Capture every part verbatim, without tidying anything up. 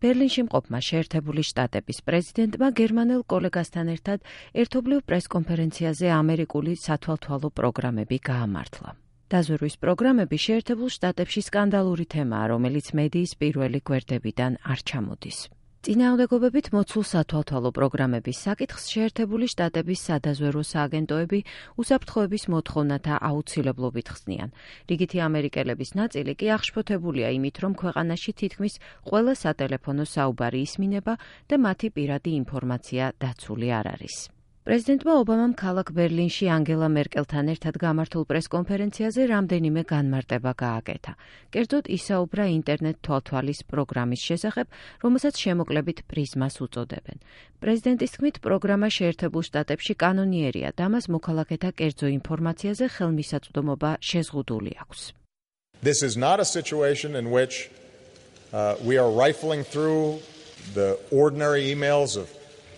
ბერლინში მყოფმა შეერთებული შტატების პრეზიდენტმა გერმანელ კოლეგასთან ერთად ერთობლივ პრესკონფერენციაზე ამერიკული სათვალთვალო პროგრამები გაამართლა. დაზვერვის პროგრამები შეერთებულ შტატებში სკანდალური თემაა, რომელიც მედიის პირველი გვერდებიდან არ ჩამოდის. წინააღმდეგობებით მოცულ სათვალთვალო პროგრამების საკითხს შეერთებული შტატების სადაზვერვო სააგენტოები უსაფრთხოების მოთხოვნათა აუცილებლობით ხსნიან. რიგითი ამერიკელების ნაწილი კი აღშფოთებულია იმით, რომ ქვეყანაში თითქმის ყველა სატელეფონო საუბარი ისმინება და მათი პირადი ინფორმაცია დაცული არ არის. პრეზიდენტმა ობამამ ქალაქ ბერლინში ანგელა მერკელთან ერთად გამართულ პრესკონფერენციაზე რამდენიმე განმარტება გააკეთა. კერძოდ ისაუბრა ინტერნეტ თვალთვალის პროგრამის შესახებ, რომელსაც შემოკლებით პრიზმას უწოდებენ. პრეზიდენტის თქმით, პროგრამა შეერთებულ შტატებში კანონიერია და მას მოქალაქეთა კერძო ინფორმაციაზე ხელმისაწვდომობა შეზღუდული აქვს. This is not a situation in which uh, we are rifling through the ordinary emails of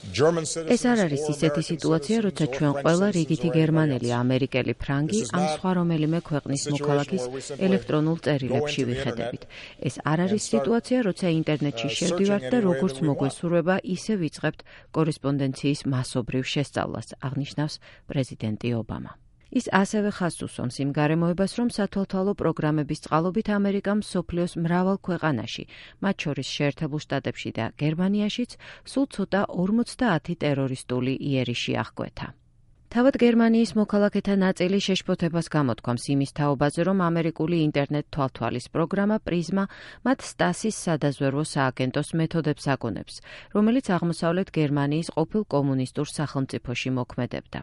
ეს არ არის ისეთი სიტუაცია, როცა ჩვენ ყველა რიგითი გერმანელი, ამერიკელი, ფრანგი ან სხვა რომელიმე ქვეყნის მოქალაქის ელექტრონულ წერილებში ვიხედებით. ეს არ არის სიტუაცია, როცა ინტერნეტში შევდივართ და როგორც მოგვესურვება, ისე ვიწყებთ კორესპონდენციის მასობრივ შესწავლას, აღნიშნავს პრეზიდენტი ობამა. ის ასევე ხაზს უსვამს იმ გარემოებას, რომ სათვალთვალო პროგრამების წყალობით ამერიკამ მსოფლიოს მრავალ ქვეყანაში, მათ შორის შეერთებულ შტატებში და გერმანიაშიც, სულ ცოტა ორმოცდაათი ტერორისტული იერიში აღკვეთა. თავად გერმანიის მოქალაქეთა ნაწილი შეშფოთებას გამოთქვამს იმის თაობაზე, რომ ამერიკული ინტერნეტ თვალთვალის პროგრამა პრიზმა მათ სტასის სადაზვერვო სააგენტოს მეთოდებს აკონებს, რომელიც აღმოსავლეთ გერმანიის ყოფილ კომუნისტურ სახელმწიფოში მოქმედებდა.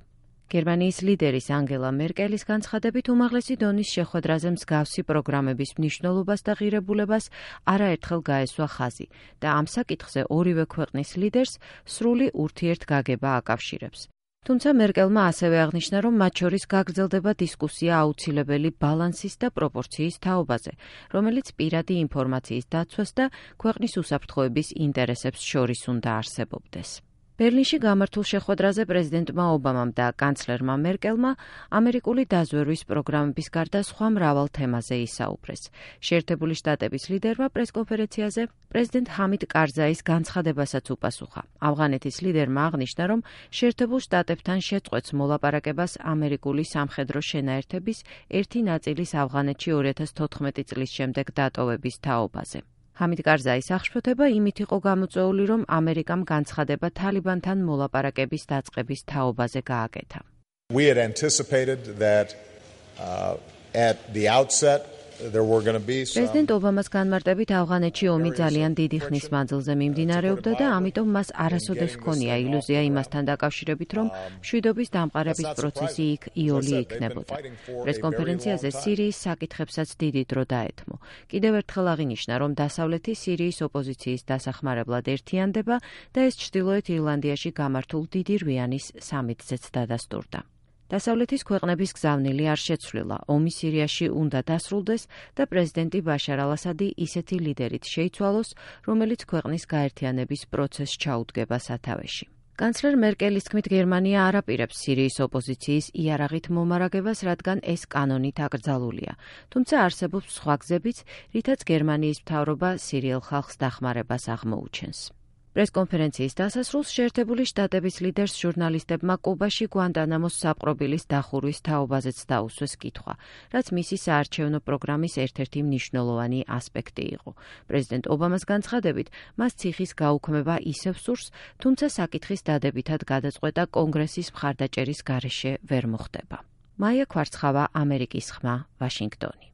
გერმანიის ლიდერის ანგელა მერკელის განცხადებით უმაღლესი დონის შეხვედრაზე მსგავსი პროგრამების მნიშვნელობას და ღირებულებას არაერთხელ გაესვა ხაზი და ამ საკითხზე ორივე ქვეყნის ლიდერს სრული ურთიერთგაგება აკავშირებს. თუმცა მერკელმა ასევე აღნიშნა, რომ მათ შორის გაგრძელდება დისკუსია აუცილებელი ბალანსის და პროპორციის თაობაზე, რომელიც პირადი ინფორმაციის დაცვას და ქვეყნის უსაფრთხოების ინტერესებს შორის უნდა არსებობდეს. ბერლინში გამართულ შეხვედრაზე პრეზიდენტმა ობამამ და კანცლერმა მერკელმა ამერიკული დაზვერვის პროგრამების გარდა სხვა მრავალ თემაზე ისაუბრეს. შეერთებული შტატების ლიდერმა პრესკონფერენციაზე პრეზიდენტ ჰამიდ კარზაის განცხადებასაც უპასუხა. ავღანეთის ლიდერმა აღნიშნა, რომ შეერთებულ შტატებთან შეწყვეტს მოლაპარაკებას ამერიკული სამხედრო შენაერთების ერთი ნაწილის ავღანეთში ორი ათას თოთხმეტი წლის შემდეგ დატოვების თაობაზე. ჰამიდ კარზაის აღშფოთება იმით იყო გამოწვეული, რომ ამერიკამ განცხადება თალიბანთან მოლაპარაკების დაწყების თაობაზე გააკეთა. We had anticipated that uh, at the outset there were going to be some პრეზიდენტ ობამას განმარტებით ავღანეთში ომი ძალიან დიდი ხნის მანძილზე მიმდინარეობდა და ამიტომ მას არასოდეს ჰქონია ილუზია იმასთან დაკავშირებით, რომ მშვიდობის დამყარების პროცესი იქ იოლი იქნებოდა. პრესკონფერენციაზე სირიის საკითხებსაც დიდი დრო დაეთმო. კიდევ ერთხელ აღინიშნა, რომ დასავლეთი სირიის ოპოზიციის დასახმარებლად ერთიანდება და ეს ჩრდილოეთ ირლანდიაში გამართულ დიდი რვიანის სამიტზეც დადასტურდა. დასავლეთის ქვეყნების გზავნილი არ შეცვლილა, ომი სირიაში უნდა დასრულდეს და პრეზიდენტი ბაშარ ალ-ასადი ისეთი ლიდერით შეიცვალოს, რომელიც ქვეყნის გაერთიანების პროცესს ჩაუდგება სათავეში. კანცლერ მერკელის თქმით, გერმანია არ აპირებს სირიის ოპოზიციის იარაღით მომარაგებას, რადგან ეს კანონით აკრძალულია. თუმცა არსებობს სხვა გზებიც, რითაც გერმანიის მთავრობა სირიელ ხალხს დახმარებას აღმოუჩენს. პრესკონფერენციის დასასრულს შეერთებული შტატების ლიდერს ჟურნალისტებმა კუბაში გვანტანამოს საპყრობილის დახურვის თაობაზეც დაუსვეს კითხვა, რაც მისი საარჩევნო პროგრამის ერთ-ერთი მნიშვნელოვანი ასპექტი იყო. პრეზიდენტ ობამას განცხადებით, მას ციხის გაუქმება ისევ სურს, თუმცა საკითხის დადებითად გადაწყვეტა კონგრესის მხარდაჭერის გარეშე ვერ მოხდება. მაია ქვარცხავა, ამერიკის ხმა, ვაშინგტონი.